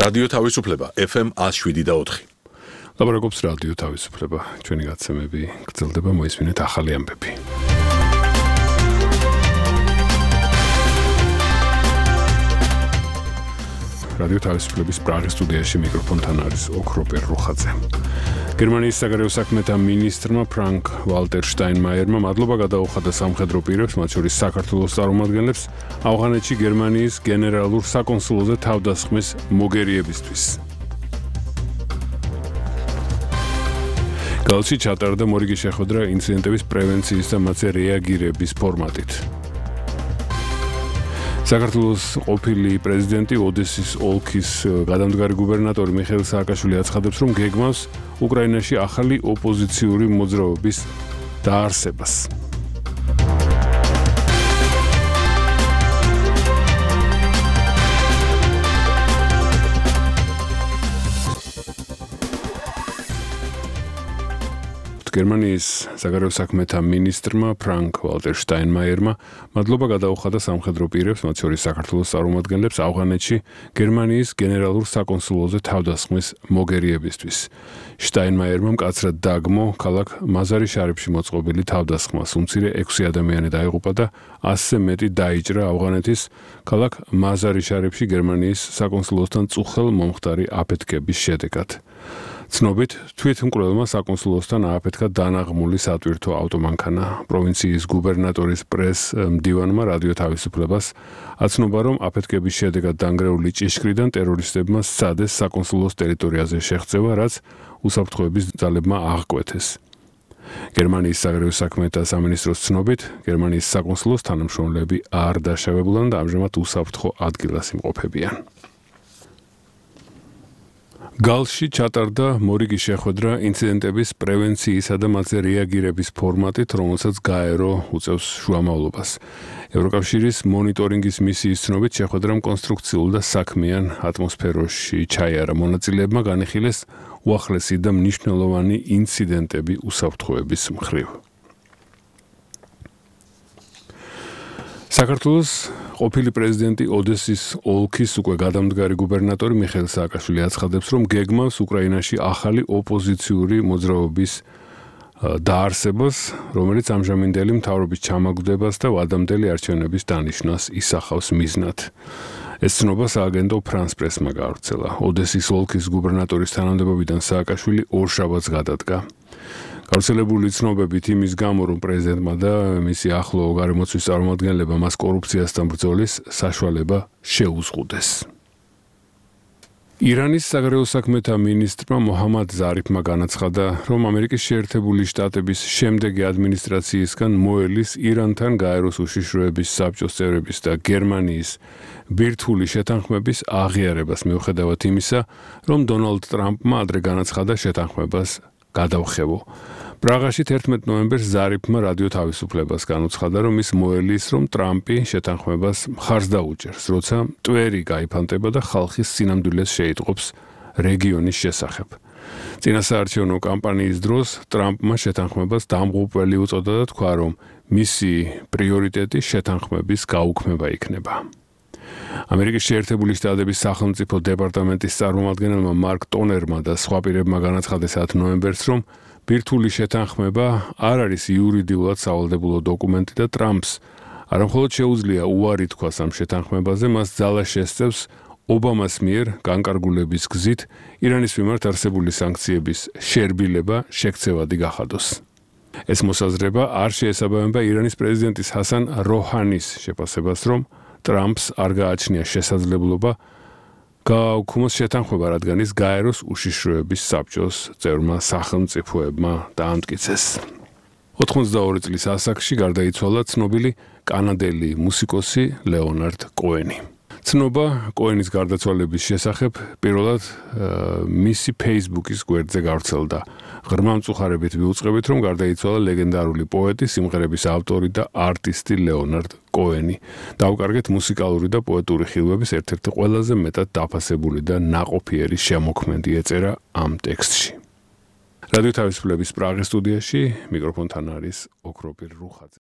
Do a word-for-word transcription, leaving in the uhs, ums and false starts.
რადიო თავისუფლება F M one oh seven და four. ლაბორატორიის რადიო თავისუფლება ჩვენი გაცემები გრძელდება მოისმინეთ ახალი ამბები. რადიო თავისუფლების პრაღის სტუდიაში მიკროფონთან არის ოქროპერ რუხაძე. გერმანიის საგარეო საქმეთა მინისტრმა ფრანკ ვალტერ შტაინმაიერმა მადლობა გადაუხადა სამხედრო პირებს, მათ შორის საქართველოს წარმომადგენლებს, ავღანეთში გერმანიის გენერალურ საკონსულოზე თავდასხმის მოგერიებისთვის. გალში ჩატარდა მორიგი შეხვედრა ინციდენტების პრევენციის და მათზე რეაგირების ფორმატით. საქართველოს ყოფილი პრეზიდენტი ოდესის ოლქის გადამდგარი გუბერნატორი მიხეილ სააკაშვილი აცხადებს, რომ გეგმავს უკრაინაში ახალი ოპოზიციური მოძრაობის დაარსებას. გერმანიის საგარეო საქმეთა მინისტრმა ფრანკ ვალტერ შტაინმაიერმა მადლობა გადაუხადა სამხედრო პირებს, მათ შორის საქართველოს წარმომადგენლებს, ავღანეთში გერმანიის გენერალურ საკონსულოზე თავდასხმის მოგერიებისთვის. შტაინმაიერმა მკაცრად დაგმო ქალაქ მაზარი-შარიფში მოწყობილი თავდასხმა, უმცირე ექვსი ადამიანი დაიღუპა და ასზე მეტი დაიჭრა ავღანეთის ქალაქ მაზარი-შარიფში გერმანიის საკონსულოსთან წუხელ მომხდარი აფეთქების შედეგად. ცნობით, თვითმკვლელმა საკონსულოსთან ააფეთქა დანაღმული სატვირთო ავტომანქანა. პროვინციის გუბერნატორის პრეს მდივანმა რადიო თავისუფლებას აცნობა, რომ აფეთქების შედეგად დანგრეული ჭიშკრიდან ტერორისტებმა სცადეს საკონსულოს ტერიტორიაზე შეღწევა, რაც უსაფრთხოების ძალებმა აღკვეთეს. გერმანიის საგარეო საქმეთა სამინისტროს ცნობით, გერმანიის საკონსულოს თანამშრომლები არ დაშავებულან და ამჟამად უსაფრთხო ადგილას იმყოფებიან. გალში ჩატარდა მორიგი შეხვედრა ინციდენტების პრევენციისა და მათზე რეაგირების ფორმატით, რომელსაც გაერო უწევს შუამავლობას. ევროკავშირის მონიტორინგის მისიის ცნობით, შეხვედრამ კონსტრუქციულ და საქმიან ატმოსფეროში ჩაიარა. მონაწილეებმა განიხილეს უახლესი და მნიშვნელოვანი ინციდენტები უსაფრთხოების მხრივ. საქართველოს ყოფილი პრეზიდენტი ოდესის ოლქის უკვე გადამდგარი გუბერნატორი მიხეილ სააკაშვილი აცხადებს, რომ გეგმავს უკრაინაში ახალი ოპოზიციური მოძრაობის დაარსებას, რომელიც ამჟამინდელი მთავრობის ჩამაგდებას და ვადამდელი არჩევნების დანიშვნას ისახავს მიზნად. ეს ცნობა სააგენტო ფრანს პრესმა გაავრცელა. ოდესის ოლქის გუბერნატორის თანამდებობიდან სააკაშვილი ორშაბათს გადადგა. გავრცელებული ცნობებით იმის გამო, რომ პრეზიდენტმა და მისი ახლო გარემოცვის წარმომადგენლებმა მას კორუფციასთან ბრძოლის საშუალება შეუზღუდეს. ირანის საგარეო საქმეთა მინისტრმა მოჰამად ზარიფმა განაცხადა, რომ ამერიკის შეერთებული შტატების შემდეგი ადმინისტრაციისგან მოელის ირანთან გაეროს უშიშროების საბჭოს წევრების და გერმანიის ბირთვული შეთანხმების აღიარებას, მიუხედავად იმისა, რომ დონალდ ტრამპმა ადრე განაცხადა შეთანხმებას გადავხევო. პრაღაში თერთმეტ ნოემბერს ზარიფმა რადიო თავისუფლებას განუცხადა, რომ ის მოელის, რომ ტრამპი შეთანხმებას მხარს დაუჭერს, როცა მტვერი გაიფანტება და ხალხის სინამდვილეს შეიტყობს რეგიონის შესახებ. წინასაარჩევნო კამპანიის დროს ტრამპმა შეთანხმებას დამღუპველი უწოდა და თქვა, რომ მისი პრიორიტეტი შეთანხმების გაუქმება იქნება. ამერიკის შეერთებული შტატების სახელმწიფო დეპარტამენტის წარმომადგენელმა მარკ ტონერმა და სხვა პირებმა განაცხადეს ათი ნოემბერს, რომ ბირთვული შეთანხმება არ არის იურიდიულად სავალდებულო დოკუმენტი და ტრამპს არამხოლოდ შეუძლია უარი თქვას ამ შეთანხმებაზე, მას ძალა შესწევს ობამას მიერ განკარგულების გზით ირანის მიმართ არსებული სანქციების შერბილება შექცევადი გახადოს. ეს მოსაზრება არ შეესაბამება ირანის პრეზიდენტის ჰასან როჰანის შეფასებას, რომ ტრამპს არ გააჩნია შესაძლებლობა გააუქმოს შეთანხმება, რადგან ის გაეროს უშიშროების საბჭოს წევრმა სახელმწიფოებმა დაამტკიცეს. ოთხმოცდაორი წლის ასაკში გარდაიცვალა ცნობილი კანადელი მუსიკოსი ლეონარდ კოენი. ცნობა კოენის გარდაცვალების შესახებ პირველად მისი Facebook-ის გვერდზე გავრცელდა. ღრმა მწუხარებით ვიუწყებით, რომ გარდაიცვალა ლეგენდარული პოეტი, სიმღერების ავტორი და არტისტი ლეონარდ კოენი. დავუკარგეთ მუსიკალური და პოეტური ხილვების ერთ-ერთი ყველაზე მეტად დაფასებული და ნაყოფიერი შემოქმედი ეწერა ამ ტექსტში. რადიო თავისუფლების პრაღის სტუდიაში მიკროფონთან არის ოქროპერ რუხაძე.